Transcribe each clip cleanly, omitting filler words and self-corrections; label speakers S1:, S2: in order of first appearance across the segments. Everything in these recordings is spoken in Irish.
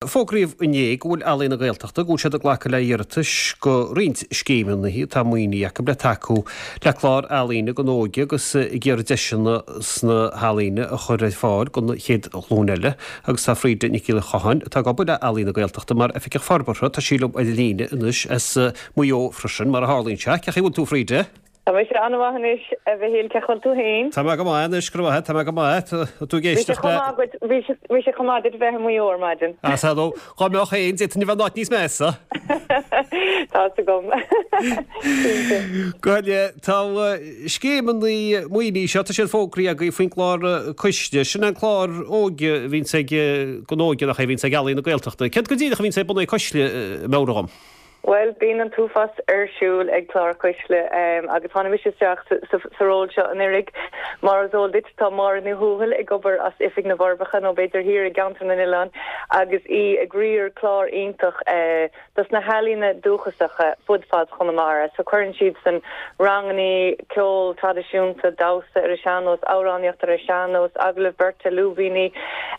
S1: Fógraíodh inné go bhfuil Ealaín na Gaeltachta go bhfuil siad ag glacadh le hiarratais go roinnt scéimeanna atá maoinithe acu le tacú le clár ealaíne don óige agus ag iarraidh deiseanna sna healaíona a chur ar fáil don chéad ghlúin eile agus tá Frida Nic Giolla Chatháin atá ag obair le Ealaín na Gaeltachta mar Oifigeach Forbartha, tá sí liom ar an líne anois as Maigh Eo freisin mar a tharlaíonn sé. Cén chaoi a bhfuil tú Frida?
S2: Tá mise an-mhaith anois, a Mhichíl. Cén chaoi a bhfuil tú féin?
S1: Tá mé go maith anois, go raibh maith agat, tá mé go maith. Tá tú ag éisteacht le.
S2: Bhí sé chomh maith duit bheith i Maigh Eo ar maidin.
S1: Á, sea, nó dhá mbeadh féin, d'fhéadfainn a bheith in áit níos measa.
S2: Tá's agam.
S1: Cinnte. Go háirithe, tá scéimeanna maoinithe seo, tá siad fógraithe agaibh faoin gclár Cuisle. Sin an clár óige a bhíonns ag, don óige nach é, a bhíonns ag Ealaín na Gaeltachta. Céard go díreach a bhíonns ar bun ag Cuisle, meabhraigh dhom?
S2: Bhuel, bíonn an t-uafás ar siúl ag Clár Cuisle agus tháinig mise isteach sa ról seo anuraidh. Mar is eol duit, tá Máire Ní Thuathail ag obair as Oifig na bhForbacha, nó b'fhéidir thiar i gCeantar na nOileán, agus í ag riar clár iontach dos na healaíona dúchasacha fud fad Chonamara. So cuireann siadsan rangannaí ceol traidisiúnta, damhsa ar an sean-nós, amhránaíocht ar an sean-nós, agallamh beirte, lúibíní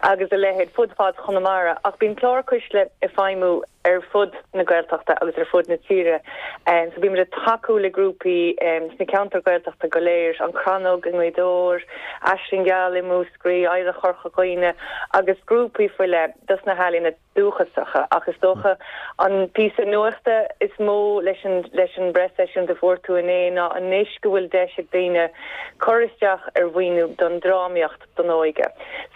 S2: agus a leithéid fud fad Chonamara. Ach bíonn Clár Cuisle ag feidhmiú ar fud na Gaeltachta agus ar fud na tíre. So bímid ag tacú le grúpaí sna ceantair Ghaeltachta go léir, An Chrannóg i nGaoth Dobhair, Aisling Gheal i Múscraí, Oidhreacht Chorca Dhuibhne agus grúpaí faoi leith dos na healaíona dúchasacha. Ach is dócha an píosa nuachta is mó leis an leis an bpreaseisiúint a fuair tú inné ná anois go bhfuil deis ag daoine cur isteach ar mhaoiniú don drámaíocht don óige.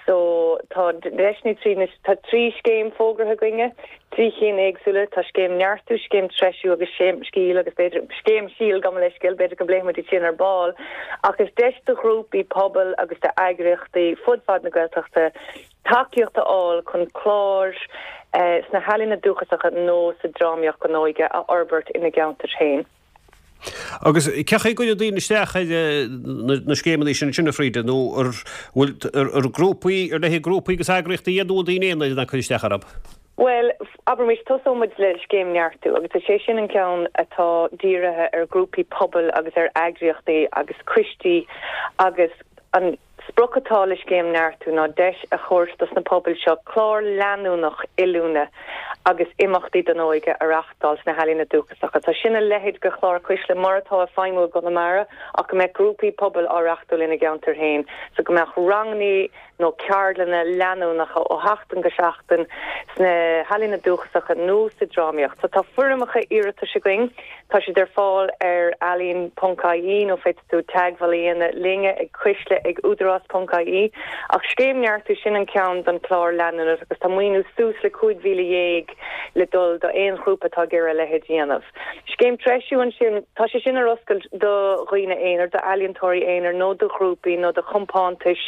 S2: So tá deiseanna tríd na, tá 3 scéim fógartha againne, 3 chinn éagsúla, tá scéim Neartú, scéim Treisiú agus scéim Scil agus b'fhéidir, scéim Síol, gabh mo leithscéal, b'fhéidir go bpléifidh muid iad sin ar ball. Ach is deis do ghrúpaí pobail agus d'eagraíochtaí fud fad na Gaeltachta tacaíocht a fháil chun cláir sna healaíona dúchasacha nó sa drámaíocht don óige a fhorbairt ina gceantair féin.
S1: Agus cén chaoi a gcuireann daoine isteach ar na scéimeanna sin ansin, a Frida, nó ar bhfuil ar grúpaí, ar leith grúpaí agus eagraíochtaí iad nó bhfuil daoine aonair in ann cur isteach orthu?
S2: Bhuel, abraimis, tosóidh muid le Scéim Neartú agus is é sin an ceann atá dírithe ar ghrúpaí pobail agus ar eagraíochtaí agus coistí agus an sprioc atá le Scéim Neartú ná deis a thabhairt dos na pobail seo clár leanúnach oiliúna agus imeachtaí don óige a reáchtáil sna healaíona dúchasacha. So sin a leithéid de chlár Cuisle mar atá ag feidhmiú i gConamara ach go mbeadh grúpaí pobail á reáchtáil ina gceantair féin. So go mbeadh rangannaí nó ceardlanna leanúnacha ó sheachtain go seachtain sna healaíona dúchasacha nó sa drámaíocht. So tá foirmeacha iarratais againn, tá siad ar fáil ar ealaín ponc ie nó féadfaidh tú teagmháil a dhéanamh linne ag cuisle ag údarás ponc ie. Ach Scéim Neartú, sin an ceann don chlár leanúnach agus tá maoiniú suas le 15,000 le dul do aon ghrúpa atá ag iarraidh a leithéid a dhéanamh. Scéim Treisiú ansin, tá sé sin ar oscailt do dhaoine aonair, d'ealaíontóirí aonair nó do ghrúpaí nó do chompántais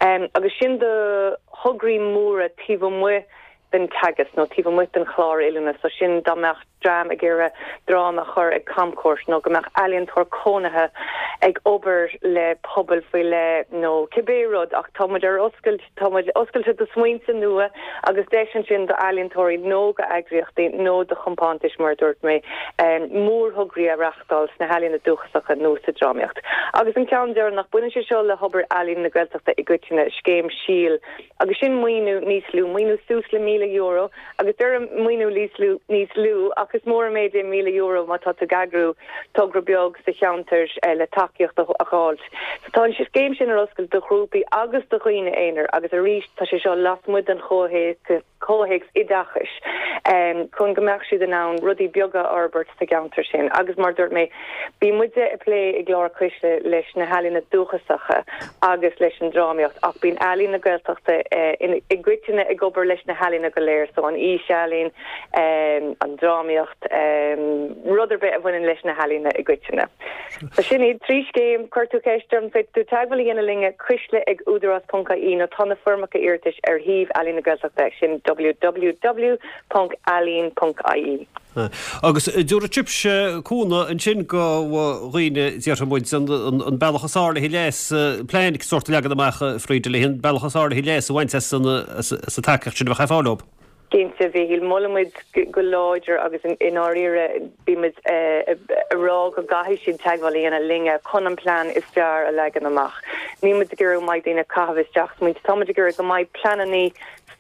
S2: agus sin do thograí móra taobh amuigh den teagasc nó taobh amuigh den chlár oiliúna so sin dá mbeadh dream ag iarraidh dráma a chur ag camchuairt nó go mbeadh ealaíontóir cónaithe ag obair le pobal faoi leith nó cibé rud ach tá muid ar oscailt, tá muid oscailte do smaointe nua agus deis ansin d'ealaíontóirí nó d'eagraíochtaí nó do chompántais mar a dúirt mé mórthograí a reáchtáil sna healaíona dúchasacha nó sa drámaíocht. Agus an ceann deireanach, baineann sé seo le hobair Ealaín na Gaeltachta i gcoitinne, Scéim Síol. Agus sin maoiniú níos lú, maoiniú suas le €1,000, agus deirim maoiniú níos lú, níos lú, ach is mór an méid é €1,000 má tá tú ag eagrú togra beag sa cheantar le tacaíocht a dh'fháilt. So tá an scéim sin ar oscailt do ghrúpaí agus do dhaoine aonair agus arís tá sé seo lasmuigh den chomhthéacs oideachais chun go mbeadh siad in ann rudaí beaga a fhorbairt sa gceantar sin. Agus mar a dúirt mé, bíonn muide ag plé i gClár Cuisle leis na healaíona dúchasacha agus leis an drámaíocht ach bíonn Ealaín na Gaeltachta i gcoitinne ag obair leis na healaíona go léir, so an fhísealaín, an drámaíocht, rud ar bith a bhaineann leis na healaíona i gcoitinne. So sin iad 3 scéim. Chuir tú ceist orm, féadfaidh tú teagmháil a dhéanamh linne, cuisle ag údarás ponc ie nó tá na foirmeacha iarratais ar shuíomh Ealaín na Gaeltachta, sin www ponc ealaín ponc ie.
S1: Agus tabharfaidh sibhse cúnamh ansin do dhaoine, déarfaidh muid, an bealach is fearr le haghaidh leas, plean sórt a leagan amach, a Frida, le haghaidh an bealach is fearr le haghaidh leas a bhaint as an tacaíocht sin a bheadh ar fáil dóibh.
S2: Cinnte, a Mhichíl, molaimid go láidir agus i ndáiríre bímid ag rá go gcaithfidh siad teagmháil a dhéanamh linne chun an plean is fearr a leagan amach. Níl muid ag iarraidh go mbeidh daoine ag caitheamh isteach smaointe, táimid ag iarraidh go mbeidh pleanannaí.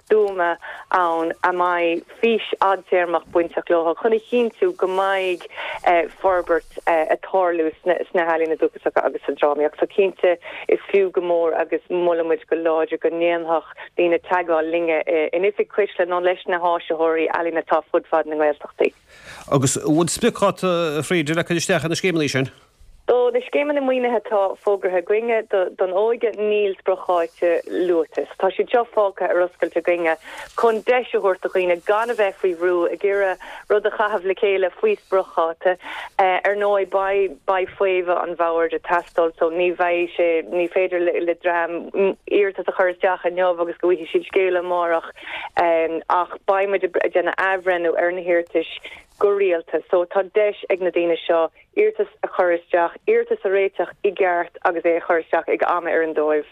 S2: stuama ann a mbeidh fís fhadtéarmach bainteach leo chun a chinntiú go mbeidh forbairt ag tarlú sna healaíona dúchasacha agus sa drámaíocht. So cinnte is fiú go mór agus molann muid go láidir go ndéanfadh daoine teagmháil linne in oifig Cuisle nó leis na háisitheoirí ealaíon atá fud fad na nGaeltachtaí.
S1: Agus an bhfuil spriocdháta, a Bhríde, le cur isteach ar na scéimeanna sin?
S2: Do na scéimeanna maoinithe atá fógartha againne don óige, níl spriocdháta luaite. So tá siad seo fágtha ar oscailt againne chun deis a thabhairt do dhaoine gan a bheith faoi bhrú ag iarraidh rud a chaitheamh le chéile faoi spriocdháta. Ar ndóigh, beidh beidh faomhadh an bhoird ag teastáil so ní bheidh sé, ní féidir le dream iarratas a chur isteach inniu agus go bhfaighidh siad scéala amárach ach beidh muid ag déanamh athbhreithniú ar na hiarratais go rialta. So tá deis ag na daoine seo iarratas a chur isteach, iarratas a réiteach i gceart agus é a chur isteach ag am a oireann dóibh.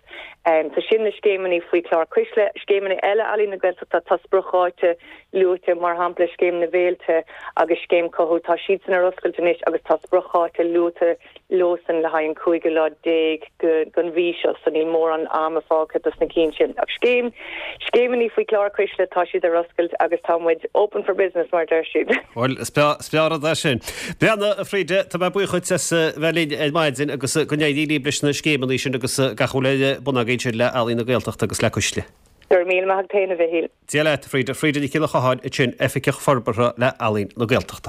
S2: So sin na scéimeanna faoi chlár Cuisle. Scéimeanna eile Ealaín na Gaeltachta, tá spriocdháta luaite, mar shampla Scéim na bhFéilte agus Scéim Cothú, tá siadsan ar oscailt anois agus tá spriocdháta luaite leosan le haghaidh an cúigiú lá déag den mhí seo, so níl mórán ama fágtha dos na cinn sin. Ach scéim, scéimeanna faoi chlár Cuisle, tá siad ar oscailt agus tá muid open for business mar a deir siad.
S1: Bhuel, is breá an rud é sin. Breathnaigh, a Bhríde, tá mé buíoch dhuit as bheith linn ar maidin agus go n-éirí libh leis na scéimeanna sin agus gach a bhfuil ar bun agaibh ansin le Ealaín na Gaeltachta agus le Cuisle.
S2: Go raibh míle maith agat féin, a Mhichíl.
S1: Dia leat, a Bhríde. Frida Nic Giolla Chatháin ansin, Oifigeach Forbartha le Ealaín na Gaeltachta.